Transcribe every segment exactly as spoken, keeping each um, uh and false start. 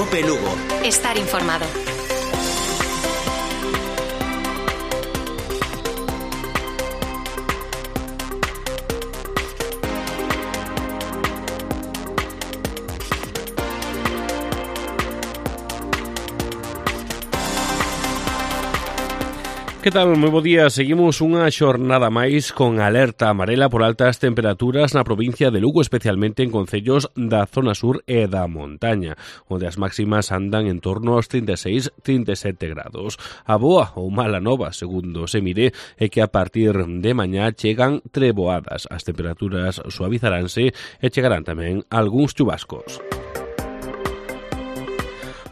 COPE Lugo. Estar informado. Que tal? Moi bo día. Seguimos unha xornada máis con alerta amarela por altas temperaturas na provincia de Lugo, especialmente en concellos da zona sur e da montaña, onde as máximas andan en torno aos trinta e seis a trinta e sete grados. A boa ou mala nova, segundo se mire, é que a partir de mañá chegan treboadas. As temperaturas suavizaránse e chegarán tamén algúns chubascos.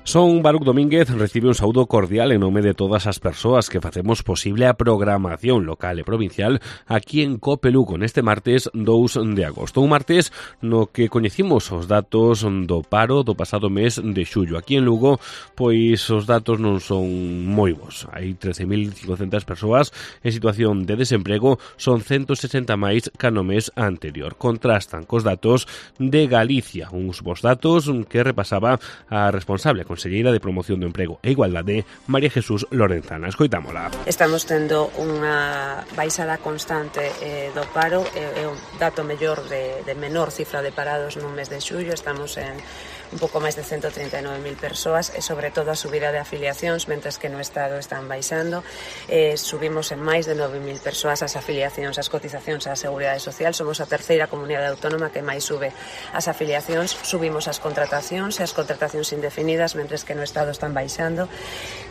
Son Baruc Domínguez recibe un saúdo cordial en nome de todas as persoas que facemos posible a programación local e provincial aquí en COPE Lugo neste martes dous de agosto. Un martes no que coñecimos os datos do paro do pasado mes de xullo. Aquí en Lugo, pois os datos non son moi bons. Hai trece mil cincocentas persoas en situación de desemprego, son ciento sesenta máis ca no mes anterior. Contrastan cos datos de Galicia, uns bons datos que repasaba a responsable Conselleira de Promoción do Emprego e Igualdade, María Jesús Lorenzana. Escoitámola. Estamos tendo unha baixada constante eh, do paro, é eh, o dato mellor de, de menor cifra de parados nun mes de xullo. Estamos en un pouco máis de ciento trinta e nove mil persoas e sobre todo a subida de afiliacións, mentres que no Estado están baixando. Eh, subimos en máis de nove mil persoas as afiliacións, as cotizacións á Seguridade Social. Somos a terceira comunidade autónoma que máis sube as afiliacións. Subimos as contratacións e as contratacións indefinidas, mentres que no Estado están baixando.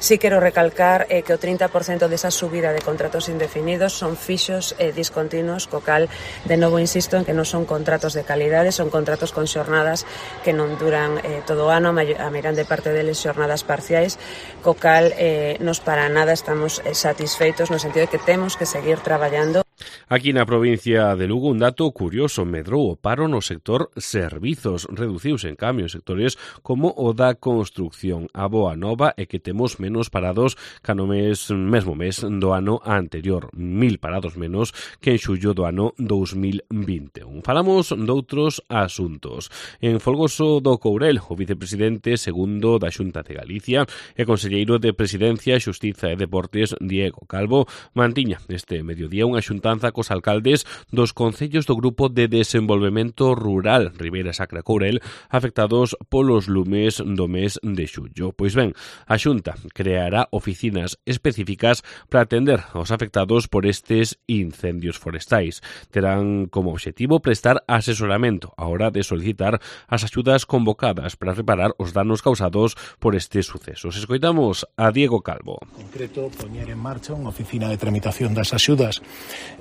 Si quero recalcar eh, que o trinta por cento desa subida de contratos indefinidos son fixos e eh, discontinuos, co cal, de novo insisto en que non son contratos de calidade, son contratos con xornadas que non duran Eh, todo o ano, a meirande parte deles xornadas parciais, co cal eh, nos para nada estamos eh, satisfeitos no sentido de que temos que seguir traballando. Aquí na provincia de Lugo un dato curioso: medrou o paro no sector servizos, reduciuse en cambio en sectores como o da construcción. A boa nova é que temos menos parados ca no mes, mesmo mes do ano anterior, mil parados menos que en xullo do ano dous mil vinte e un. Falamos doutros asuntos. En Folgoso do Courel, o vicepresidente segundo da Xunta de Galicia e conselleiro de Presidencia, Xustiza e Deportes, Diego Calvo, mantiña este mediodía unha xuntanza cos alcaldes dos concellos do Grupo de Desenvolvemento Rural Ribeira Sacra Courel afectados polos lumes do mes de xullo. Pois ben, a Xunta creará oficinas específicas para atender aos afectados por estes incendios forestais. Terán como objetivo prestar asesoramento á hora de solicitar as axudas convocadas para reparar os danos causados por estes sucesos. Escoitamos a Diego Calvo. En concreto, poñer en marcha unha oficina de tramitación das axudas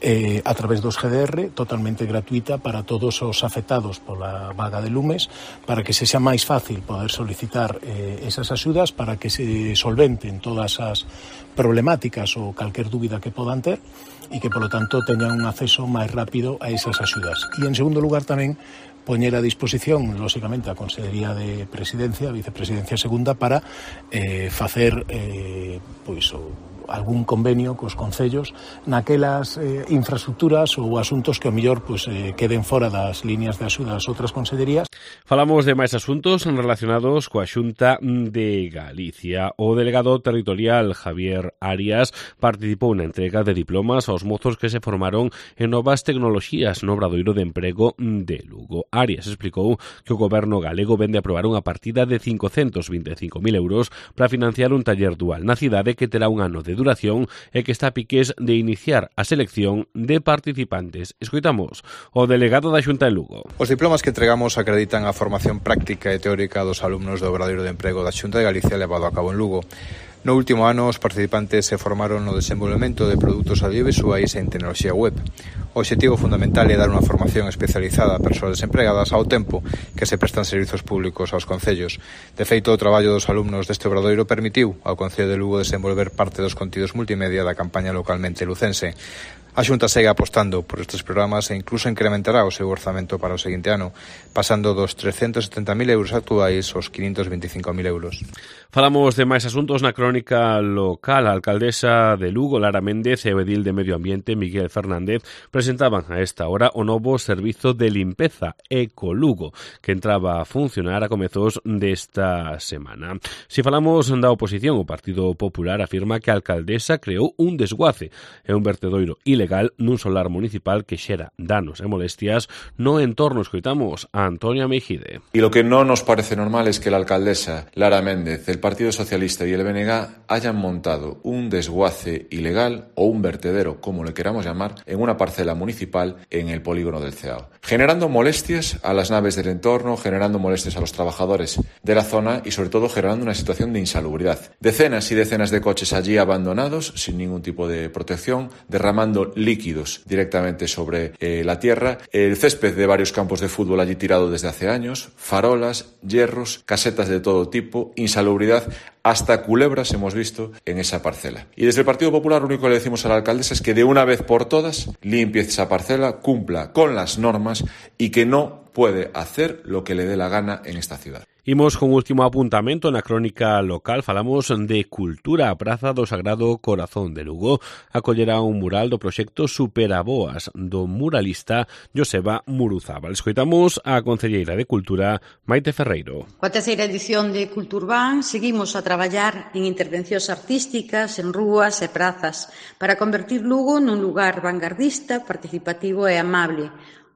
eh, a través dos G D R, totalmente gratuita para todos os afectados pola vaga de lumes, para que se xa máis fácil poder solicitar eh, esas axudas, para que se solventen todas as problemáticas ou calquer dúbida que podan ter e que, polo tanto, teñan un acceso máis rápido a esas axudas. E, en segundo lugar, tamén poñer a disposición, lóxicamente, a Consellería de Presidencia, a Vicepresidencia Segunda, para eh, facer eh, pois, o algún convenio cos concellos naquelas eh, infraestructuras ou asuntos que ao mellor pues, eh, queden fora das líneas de axuda das outras consellerías. Falamos de máis asuntos relacionados coa Xunta de Galicia. O delegado territorial Javier Arias participou na entrega de diplomas aos mozos que se formaron en novas tecnoloxías no Obradoiro de Emprego de Lugo. Arias explicou que o goberno galego vende a aprobar unha partida de cincocentos vinte e cinco mil euros para financiar un taller dual na cidade que terá un ano de duración e que está a piques de iniciar a selección de participantes. Escoitamos o delegado da Xunta de Lugo. Os diplomas que entregamos acreditan a formación práctica e teórica dos alumnos do Obradoiro de Emprego da Xunta de Galicia levado a cabo en Lugo. No último ano, os participantes se formaron no desenvolvemento de produtos audiovisuais e en tecnoloxía web. O obxectivo fundamental é dar unha formación especializada a persoas desempregadas ao tempo que se prestan servizos públicos aos concellos. De feito, o traballo dos alumnos deste obradoiro permitiu ao Concello de Lugo desenvolver parte dos contidos multimedia da campaña localmente lucense. A Xunta segue apostando por estes programas e incluso incrementará o seu orzamento para o seguinte ano, pasando dos trescentos setenta mil euros actuais aos quinhentos veinticinco mil euros. Falamos de máis asuntos na crónica local. A alcaldesa de Lugo, Lara Méndez, e o edil de Medio Ambiente, Miguel Fernández, presentaron presentaban a esta hora o novo servizo de limpeza Ecolugo, que entraba a funcionar a comezos desta semana. Se falamos da oposición, o Partido Popular afirma que a alcaldesa creou un desguace e un vertedoiro ilegal nun solar municipal que xera danos e molestias no entorno. Escoitamos a Antonia Meijide. Y lo que no nos parece normal es que la alcaldesa Lara Méndez, el Partido Socialista y el B N G hayan montado un desguace ilegal o un vertedero, como le queramos llamar, en una parcela municipal en el polígono del Ceao, generando molestias a las naves del entorno, generando molestias a los trabajadores de la zona y sobre todo generando una situación de insalubridad. Decenas y decenas de coches allí abandonados, sin ningún tipo de protección, derramando líquidos directamente sobre eh, la tierra, el césped de varios campos de fútbol allí tirado desde hace años, farolas, hierros, casetas de todo tipo, insalubridad, hasta culebras hemos visto en esa parcela. Y desde el Partido Popular lo único que le decimos a la alcaldesa es que de una vez por todas limpie esa parcela, cumpla con las normas y que no puede hacer lo que le dé la gana en esta ciudad. Imos con último apuntamento na crónica local. Falamos de cultura. A Praza do Sagrado Corazón de Lugo acollerá un mural do proxecto Superaboas do muralista Joseba Muruzábal. Escoitamos a concelleira de Cultura, Maite Ferreiro. Coa terceira edición de Culturban seguimos a traballar en intervencións artísticas en rúas e prazas para convertir Lugo nun lugar vanguardista, participativo e amable,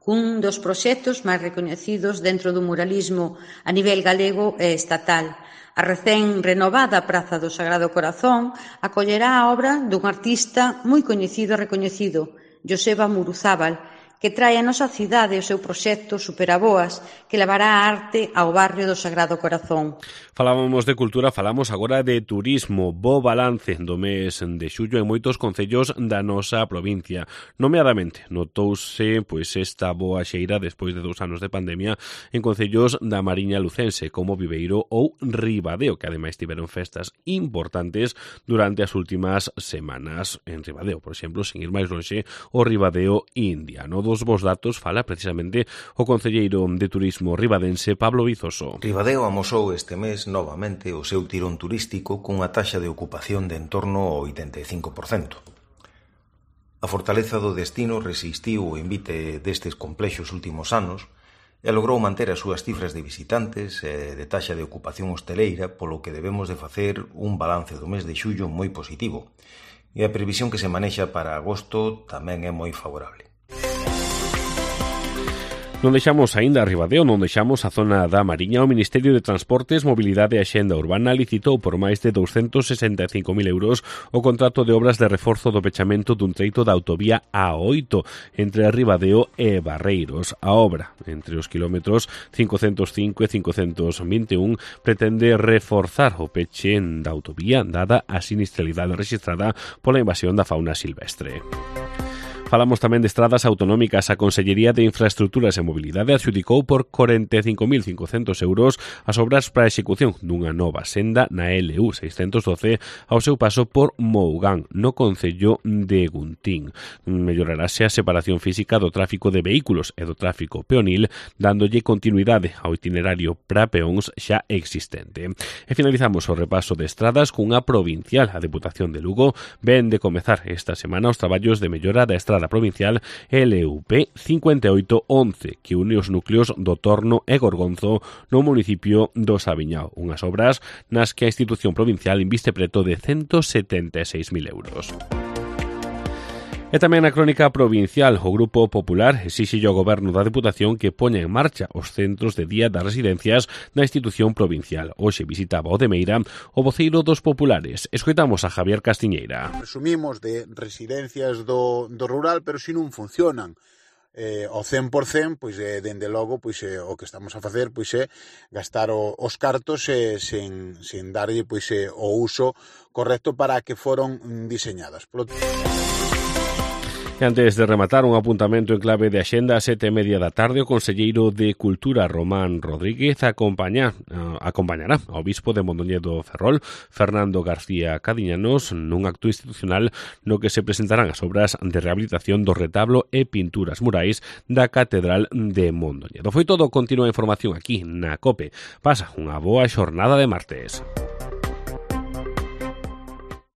un dos proxectos máis recoñecidos dentro do muralismo a nivel galego e estatal. A recén renovada Praza do Sagrado Corazón acollerá a obra dun artista moi coñecido e recoñecido, Joseba Muruzábal, que trae a nosa cidade o seu proxecto Superaboas, que levará a arte ao barrio do Sagrado Corazón. Falábamos de cultura, falamos agora de turismo. Bo balance do mes de xullo en moitos concellos da nosa provincia. Nomeadamente, notouse pois esta boa xeira despois de dous anos de pandemia en concellos da Mariña Lucense, como Viveiro ou Ribadeo, que ademais tiveron festas importantes durante as últimas semanas. En Ribadeo, por exemplo, sin ir máis lonxe, o Ribadeo indiano. Dos vos datos fala precisamente o concelleiro de turismo ribadense Pablo Vizoso. Ribadeo amosou este mes novamente o seu tirón turístico cunha taxa de ocupación de en torno ao oitenta e cinco por cento. A fortaleza do destino resistiu o invite destes complexos últimos anos e logrou manter as súas cifras de visitantes e de taxa de ocupación hosteleira, polo que debemos de facer un balance do mes de xullo moi positivo. E a previsión que se manexa para agosto tamén é moi favorable. Non deixamos aínda a Ribadeo, non deixamos a zona da Mariña. O Ministerio de Transportes, Mobilidade e Axenda Urbana licitou por máis de douscentos sesenta e cinco mil euros o contrato de obras de reforzo do pechamento dun treito da autovía A oito entre Ribadeo e Barreiros. A obra, entre os kilómetros cincocentos cinco e cincocentos vinte e un, pretende reforzar o peche da autovía dada a sinistralidade registrada pola invasión da fauna silvestre. Falamos tamén de estradas autonómicas. A Consellería de Infraestructuras e Mobilidade adxudicou por corenta e cinco mil cincocentos euros as obras para a execución dunha nova senda na L U seiscentos doce ao seu paso por Mougán, no concello de Guntín. Mellorarase a separación física do tráfico de vehículos e do tráfico peonil, dándolle continuidade ao itinerario para peóns xa existente. E finalizamos o repaso de estradas cunha provincial. A Deputación de Lugo ven de comezar esta semana os traballos de mellora da estrada provincial L U P cincuenta e oito once, que une os núcleos do Torno e Gorgonzo no municipio do Sabiñao, unhas obras nas que a institución provincial inviste preto de ciento setenta e seis mil euros. E tamén na crónica provincial, o Grupo Popular exixe ao Goberno da Deputación que poña en marcha os centros de día das residencias da institución provincial. Hoxe visitaba o de Meira o voceiro dos populares. Escoitamos a Javier Castiñeira. Presumimos de residencias do, do rural, pero se non funcionan eh, ao cen por cen, pois eh, dende logo pois eh, o que estamos a facer pois é eh, gastar o, os cartos eh, sen, sen darlle pois eh, o uso correcto para que foron diseñadas. Por... E antes de rematar, un apuntamento en clave de axenda a sete e media da tarde, o conselleiro de Cultura, Román Rodríguez, acompaña, uh, acompañará ao bispo de Mondoñedo Ferrol, Fernando García Cadiñanos, nun acto institucional no que se presentarán as obras de rehabilitación do retablo e pinturas murais da Catedral de Mondoñedo. Foi todo, continúa a información aquí na COPE. Pasa unha boa xornada de martes.